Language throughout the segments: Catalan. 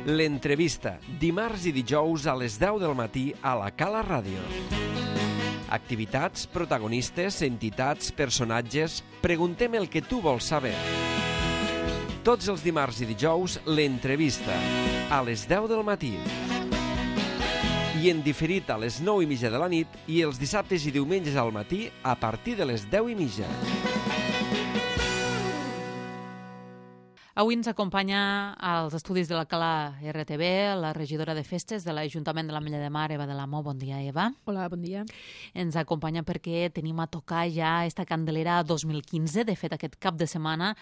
L'entrevista, dimarts i dijous a les 10 del matí a la Cala Ràdio. Activitats, protagonistes, entitats, personatges... Preguntem el que tu vols saber. Tots els dimarts i dijous, l'entrevista, a les 10 del matí. I en diferit a les 9:30 de la nit i els dissabtes i diumenges al matí a partir de les 10:30. Avui ens acompanya als estudis de la Cala RTV la regidora de festes de l'Ajuntament de l'Ametlla de Mar, Eva de l'Amo. Bon dia, Eva. Hola, bon dia. Ens acompanya perquè tenim a tocar ja esta Candelera 2015. De fet, aquest cap de setmana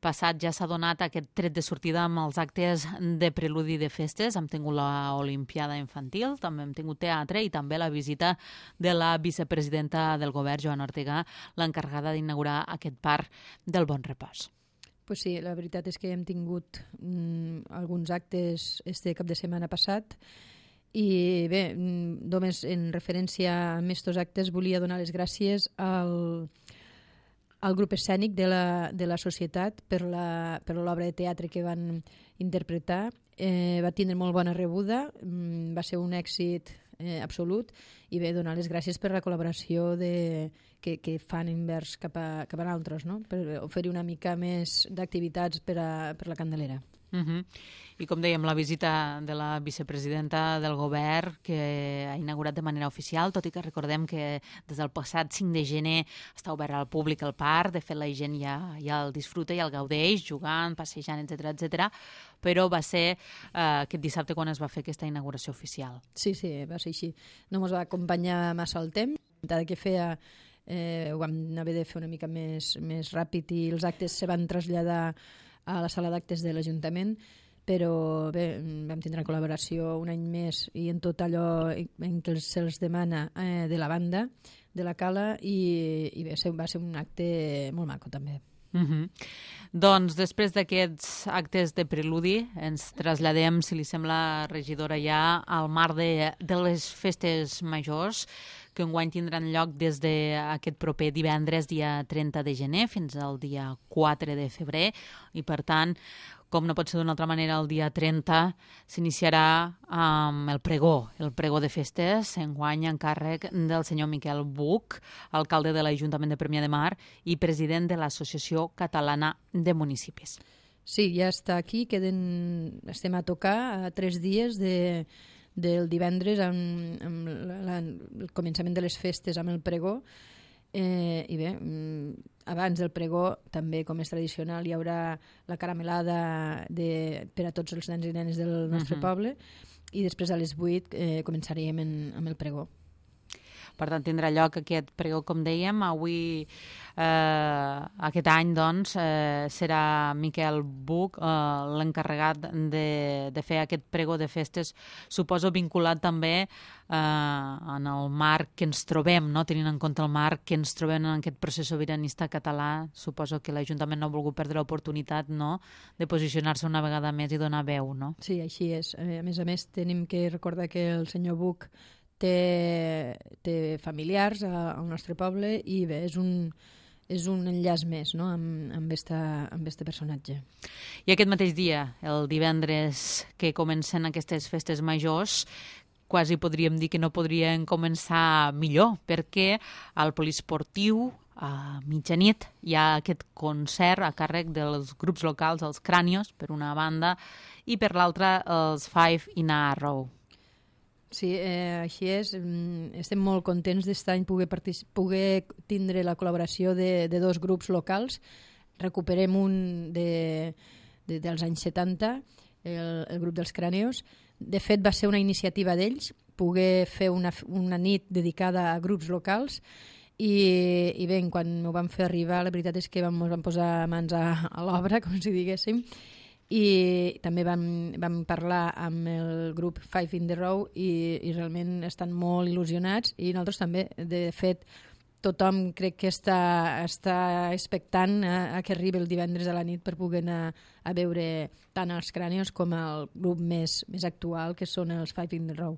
passat ja s'ha donat aquest tret de sortida amb els actes de preludi de festes. Hem tingut l'Olimpiada Infantil, també hem tingut teatre i també la visita de la vicepresidenta del govern, Joana Ortega, l'encarregada d'inaugurar aquest parc del Bon Repòs. Pues sí, la veritat és que hem tingut alguns actes este cap de setmana passat i bé, només en referència a estos actes volia donar les gràcies al grup escènic de la societat per l'obra de teatre que van interpretar. Va tindre molt bona rebuda, va ser un èxit absolut i bé, donar les gràcies per la col·laboració que fan envers cap a nosaltres, no? Per oferir una mica més d'activitats per la Candelera. I com dèiem, la visita de la vicepresidenta del govern que ha inaugurat de manera oficial, tot i que recordem que des del passat 5 de gener està obert al públic el parc. De fet, la gent ja el disfruta i el gaudeix, jugant, passejant, etc. Però va ser aquest dissabte quan es va fer aquesta inauguració oficial. Sí, va ser així. No ens va acompanyar massa el temps, encara que feia ho vam haver de fer una mica més ràpid i els actes se van traslladar a la sala d'actes de l'Ajuntament, però bé, vam tindre col·laboració un any més i en tot allò en què se'ls demana de la banda, de la Cala, i bé, va ser un acte molt maco també. Doncs després d'aquests actes de preludi ens traslladem, si li sembla, regidora, ja al marc de les festes majors que enguany tindran lloc des d'aquest proper divendres, dia 30 de gener, fins al dia 4 de febrer, i per tant, com no pot ser d'una altra manera, el dia 30 s'iniciarà amb el pregó de festes, enguany en càrrec del senyor Miquel Buch, alcalde de l'Ajuntament de Premià de Mar i president de l'Associació Catalana de Municipis. Sí, ja està aquí, estem a tocar a 3 dies del divendres amb el començament de les festes amb el pregó. I bé, abans del pregó també, com és tradicional, hi haurà la caramelada per a tots els nens i nenes del nostre poble i després a les 8 començaríem amb el pregó. Per tant, tindrà lloc aquest pregó, com dèiem. Avui, aquest any, doncs, serà Miquel Buch l'encarregat de fer aquest pregó de festes, suposo vinculat també en el marc que ens trobem, no? Tenint en compte el marc que ens trobem en aquest procés sobiranista català. Suposo que l'Ajuntament no ha volgut perdre l'oportunitat, no?, de posicionar-se una vegada més i donar veu, no? Sí, així és. A més, tenim que recordar que el senyor Buch té familiars al nostre poble i bé, és un enllaç més, no?, amb este personatge. I aquest mateix dia, el divendres que comencen aquestes festes majors, quasi podríem dir que no podrien començar millor, perquè al poliesportiu a mitjanit hi ha aquest concert a càrrec dels grups locals, els Crànios, per una banda, i per l'altra els Five in a Row. Sí, així és. Estem molt contents d'estar any poder tindre la col·laboració de 2 grups locals. Recuperem un dels anys 70, el grup dels Crànios. De fet, va ser una iniciativa d'ells, poder fer una nit dedicada a grups locals i bé, quan ho vam fer arribar, la veritat és que ens vam posar mans a l'obra, com si diguéssim, i també vam parlar amb el grup Five in the Row i realment estan molt il·lusionats i nosaltres també. De fet, tothom crec que està expectant a que arribi el divendres a la nit per poder anar a veure tant els Crànios com el grup més actual, que són els Five in the Row.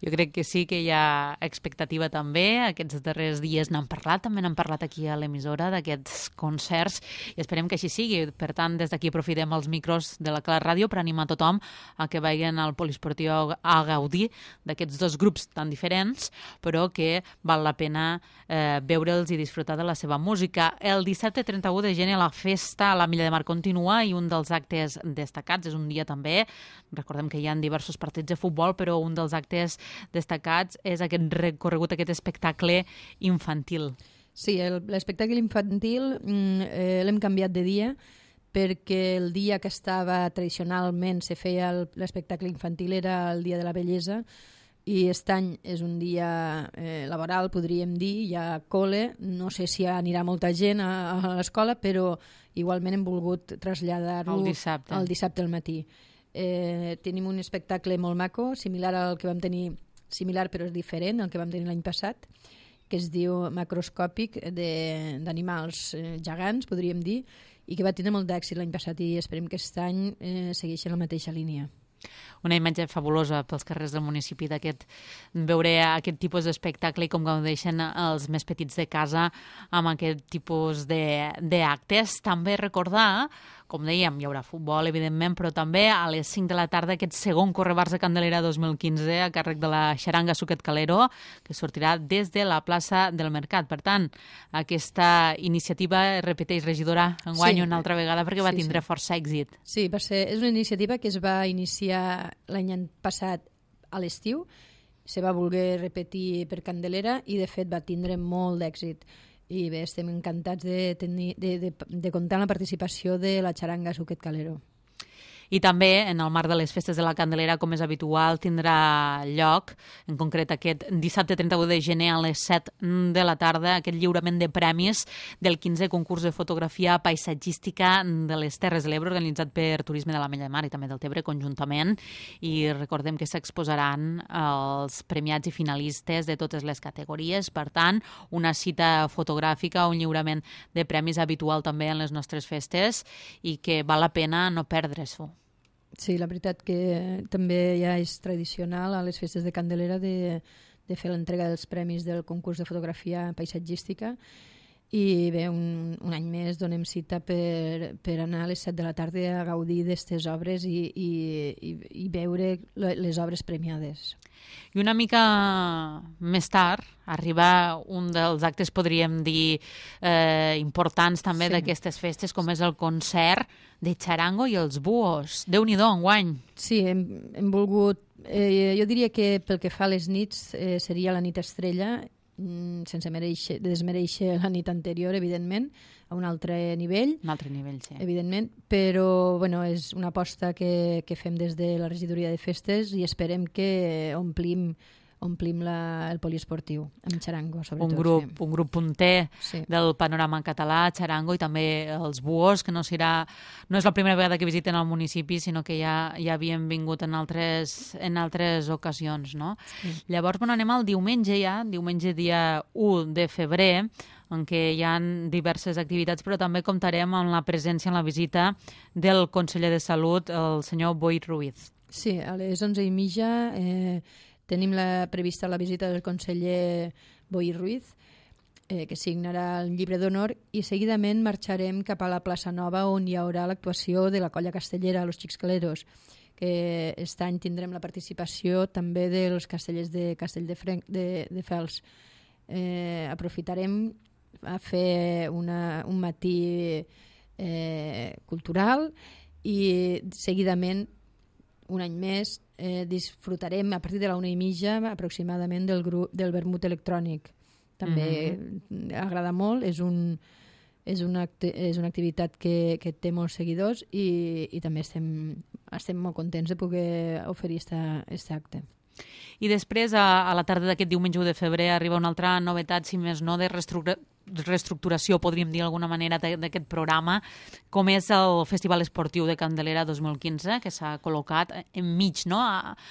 Jo crec que sí que hi ha expectativa també. Aquests darrers dies n'han parlat, també n'han parlat aquí a l'emissora d'aquests concerts i esperem que així sigui. Per tant, des d'aquí aprofitem els micros de la Clara Ràdio per animar tothom a que vagin al Poliesportiu a gaudir d'aquests dos grups tan diferents, però que val la pena veure'ls i disfrutar de la seva música. El dissabte 31 de gener la festa a la Milla de Mar continua i un dels actes destacats és un dia també, recordem que hi ha diversos partits de futbol, però un dels actes destacats és aquest recorregut, aquest espectacle infantil. Sí, l'espectacle infantil l'hem canviat de dia perquè el dia que estava tradicionalment se feia l'espectacle infantil era el dia de la bellesa i aquest any és un dia laboral, podríem dir, hi ha col·le, no sé si anirà molta gent a l'escola, però igualment hem volgut traslladar-ho al dissabte al matí. Tenim un espectacle molt maco, similar al que vam tenir, similar però és diferent, el que vam tenir l'any passat, que es diu Macroscòpic, d'animals gegants, podríem dir, i que va tenir molt d'èxit l'any passat i esperem que aquest any segueixi la mateixa línia. Una imatge fabulosa pels carrers del municipi veure aquest tipus d'espectacle i com gaudeixen els més petits de casa amb aquest tipus d'actes. També recordar, com dèiem, hi haurà futbol, evidentment, però també a les 5 de la tarda aquest segon Correbars de Candelera 2015 a càrrec de la Xaranga Suquet Calero, que sortirà des de la plaça del Mercat. Per tant, aquesta iniciativa, repeteix, regidora, enguany una altra vegada perquè va tindre força èxit. Sí, és una iniciativa que es va iniciar l'any passat a l'estiu, se va voler repetir per Candelera i de fet va tindre molt d'èxit. I bé, estem encantats de comptar amb la participació de la Xaranga Suquet Calero. I també, en el marc de les festes de la Candelera, com és habitual, tindrà lloc, en concret aquest dissabte 31 de gener a les 7 de la tarda, aquest lliurament de premis del 15è concurs de fotografia paisatgística de les Terres de l'Ebre, organitzat per Turisme de la Mella de Mar i també del Tebre conjuntament, i recordem que s'exposaran els premiats i finalistes de totes les categories. Per tant, una cita fotogràfica, un lliurament de premis habitual també en les nostres festes i que val la pena no perdre-s'ho. Sí, la veritat que també ja és tradicional a les festes de Candelera de fer l'entrega dels premis del concurs de fotografia paisatgística i bé, un any més donem cita per anar a les 7 de la tarda a gaudir d'aquestes obres i veure les obres premiades. I una mica més tard arriba un dels actes, podríem dir, importants també d'aquestes festes, com és el concert de Charango i els Búhos. Déu-n'hi-do, enguany. Sí, hem volgut... jo diria que pel que fa a les nits seria la nit estrella, sense desmereixer la nit anterior, evidentment, a un altre nivell. Un altre nivell, sí. Evidentment, però bueno, és una aposta que fem des de la regidoria de festes i esperem que omplim el poliesportiu amb Charango, sobretot. Un grup punter del panorama català, Charango, i també els Búhos, que no és la primera vegada que visiten el municipi, sinó que ja havien vingut en altres ocasions, no? Sí. Llavors, anem al diumenge dia 1 de febrer, en què hi ha diverses activitats, però també comptarem amb la presència en la visita del conseller de Salut, el senyor Boi Ruiz. Sí, a les 11:30 tenim prevista la visita del conseller Boi Ruiz, que signarà el llibre d'honor, i seguidament marxarem cap a la plaça Nova, on hi haurà l'actuació de la colla castellera, Los Xics Caleros, que aquest any tindrem la participació també dels castellers de Castelldefels. Aprofitarem a fer un matí cultural i seguidament, un any més, disfrutarem a partir de la 1:30 aproximadament del vermut electrònic. També agrada molt, és una activitat que té molts seguidors i també estem molt contents de poder oferir aquest acte. I després, a la tarda d'aquest diumenge 1 de febrer, arriba una altra novetat, si més no, de reestructuració, podríem dir d'alguna manera, d'aquest programa, com és el Festival Esportiu de Candelera 2015, que s'ha col·locat enmig, no?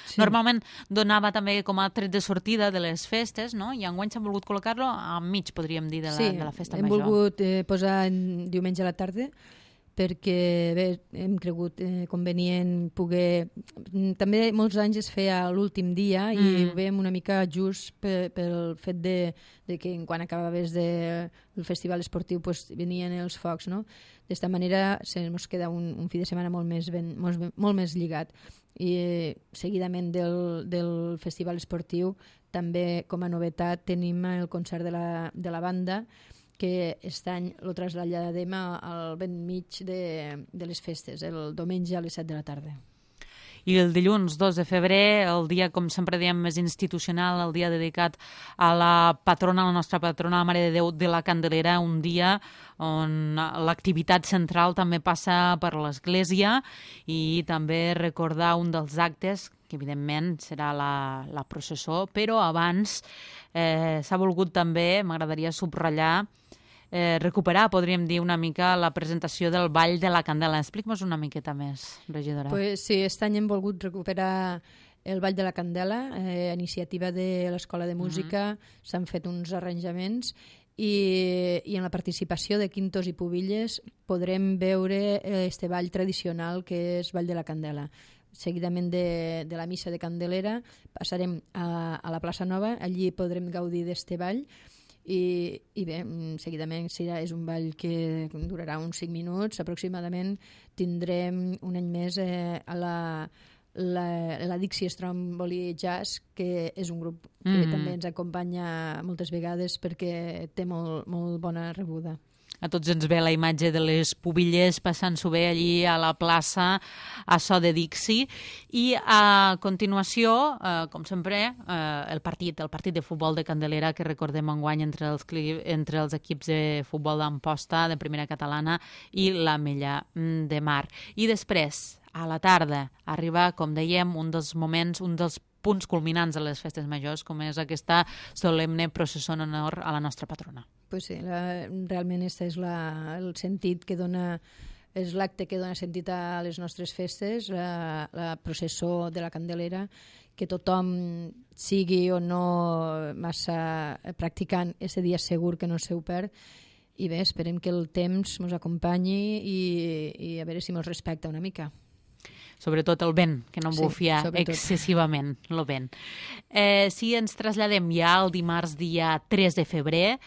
Sí. Normalment donava també com a tret de sortida de les festes, no? I enguany s'han volgut col·locar-lo enmig, podríem dir, de la festa major. Sí, hem volgut posar diumenge a la tarda, perquè bé, hem cregut convenient poder... També molts anys es feia l'últim dia i ho veiem una mica just pel fet de que quan acabaves el festival esportiu pues, venien els focs, no? D'esta manera ens queda un fi de setmana molt més lligat. I seguidament del festival esportiu també com a novetat tenim el concert de la banda, que aquest any el traslladem al ben mig de les festes, el diumenge a les 7 de la tarda. I el dilluns 2 de febrer, el dia, com sempre diem, més institucional, el dia dedicat a la patrona, la nostra patrona, la Mare de Déu de la Candelera, un dia on l'activitat central també passa per l'església i també recordar un dels actes, que evidentment serà la processó, però abans s'ha volgut també, m'agradaria subratllar, recuperar, podríem dir, una mica la presentació del Ball de la Candela. Explica-nos una miqueta més, regidora. Pues sí, aquest any hem volgut recuperar el Ball de la Candela, a iniciativa de l'Escola de Música, s'han fet uns arranjaments i en la participació de quintos i pubilles podrem veure este ball tradicional que és Ball de la Candela. Seguidament de la missa de Candelera passarem a la plaça Nova, allí podrem gaudir d'este ball i bé, seguidament és un ball que durarà uns 5 minuts aproximadament. Tindrem un any més a la Dixie Stromboli Jazz, que és un grup que també ens acompanya moltes vegades perquè té molt bona rebuda. A tots ens ve la imatge de les pubilles passant-s'ho bé allí a la plaça a so de Dixie. I a continuació, com sempre, el partit de futbol de Candelera que recordem enguany entre els equips de futbol d'Amposta, de Primera Catalana i l'Ametlla de Mar. I després, a la tarda, arriba, com dèiem, un dels punts culminants de les festes majors, com és aquesta solemne processó en honor a la nostra patrona. Pues sí, realment este és el sentit que dona, és l'acte que dona sentit a les nostres festes, la processó de la Candelera, que tothom sigui o no massa practicant, aquest dia segur que no se ho perd. I bé, esperem que el temps ens acompanyi i a veure si ens respecta una mica. Sobretot el vent, que no bufia excessivament el vent. Si ens traslladem ja al dimarts dia 3 de febrer,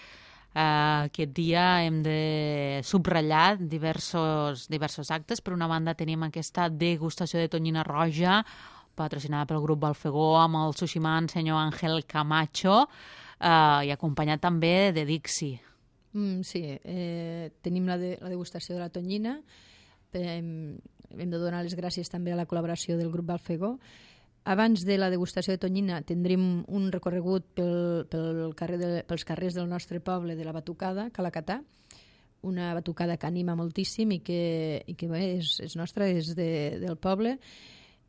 aquest dia hem de subratllar diversos actes. Per una banda tenim aquesta degustació de tonyina roja, patrocinada pel grup Balfegó, amb el sushiman senyor Ángel Camacho, i acompanyat també de Dixie. Sí, tenim la degustació de la tonyina. Hem de donar les gràcies també a la col·laboració del grup Balfegó. Abans de la degustació de tonyina tindrem un recorregut pels carrers del nostre poble de la Batucada, Calacatà, una batucada que anima moltíssim i que bé, és nostra, és del poble,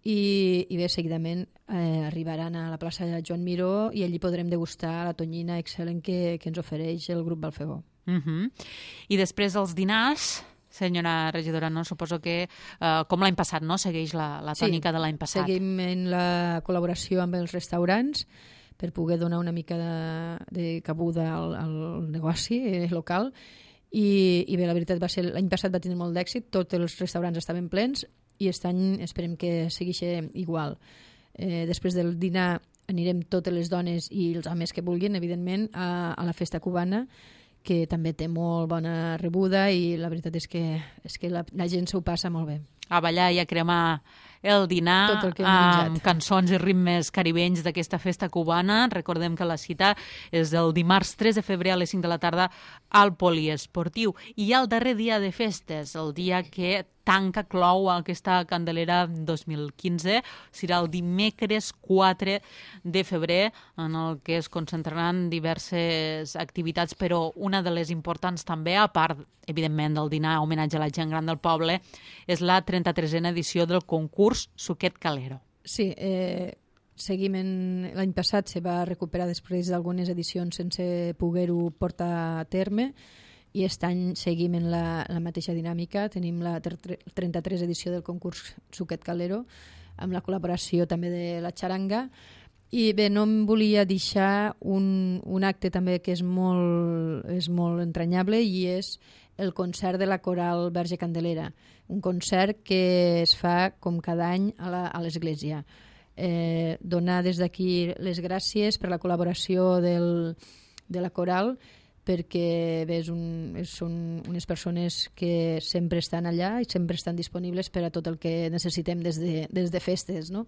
i bé, seguidament arribaran a la plaça de Joan Miró i allí podrem degustar la tonyina excel·lent que ens ofereix el grup Balfegó. I després els dinars, senyora regidora, no? Suposo que, com l'any passat, no? Segueix la tònica de l'any passat. Seguim en la col·laboració amb els restaurants per poder donar una mica de cabuda al negoci local. I bé, la veritat va ser, l'any passat va tenir molt d'èxit, tots els restaurants estaven plens i aquest any esperem que segueixi igual. Després del dinar anirem totes les dones i els homes que vulguin, evidentment, a la festa cubana, que també té molt bona rebuda i la veritat és que la gent s'ho passa molt bé. A ballar i a cremar el dinar amb cançons i ritmes caribenys d'aquesta festa cubana. Recordem que la cita és el dimarts 3 de febrer a les 5 de la tarda al Poliesportiu. I el darrer dia de festes, el dia que clou aquesta Candelera 2015, serà el dimecres 4 de febrer, en el que es concentraran diverses activitats, però una de les importants també, a part, evidentment, del dinar homenatge a la gent gran del poble, és la 33a edició del concurs Suquet Calero. Sí, l'any passat se va recuperar després d'algunes edicions sense poder-ho portar a terme, i aquest any seguim en la mateixa dinàmica. Tenim la 33 edició del concurs Suquet Calero, amb la col·laboració també de la xaranga. I bé, no em volia deixar un acte també que és molt entranyable, i és el concert de la Coral Verge Candelera, un concert que es fa com cada any a l'església. Donar des d'aquí les gràcies per la col·laboració de la Coral, perquè bé, són unes persones que sempre estan allà i sempre estan disponibles per a tot el que necessitem des de festes, no?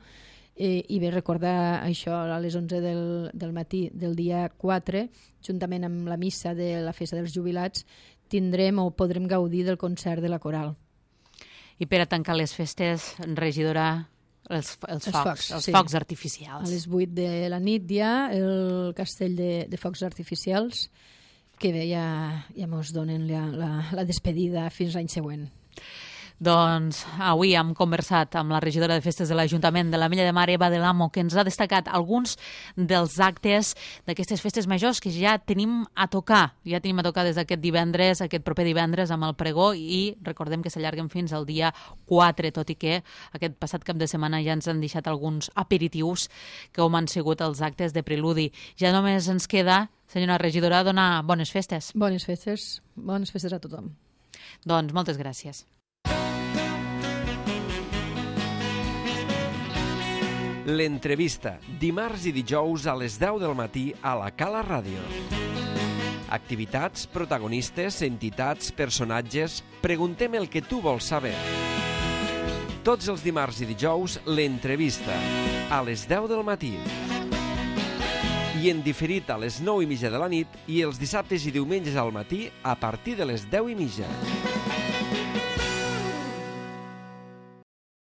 I bé, recordar això a les 11 del matí del dia 4, juntament amb la missa de la Festa dels Jubilats, tindrem o podrem gaudir del concert de la Coral. I per a tancar les festes, regidora, els focs artificials. A les 8 de la nit ja el castell de focs artificials, que bé, ja mos donen la despedida fins l'any següent. Doncs avui hem conversat amb la regidora de Festes de l'Ajuntament de l'Ametlla de Mar, Eva del Amo, que ens ha destacat alguns dels actes d'aquestes festes majors que ja tenim a tocar. Ja tenim a tocar des d'aquest divendres, aquest proper divendres, amb el pregó, i recordem que s'allarguen fins al dia 4, tot i que aquest passat cap de setmana ja ens han deixat alguns aperitius que han sigut els actes de preludi. Ja només ens queda, senyora regidora, donar bones festes. Bones festes a tothom. Doncs moltes gràcies. L'entrevista, dimarts i dijous a les 10 del matí a la Cala Ràdio. Activitats, protagonistes, entitats, personatges... Preguntem el que tu vols saber. Tots els dimarts i dijous, l'entrevista, a les 10 del matí. I en diferit a les 9:30 de la nit i els dissabtes i diumenges al matí a partir de les 10:30.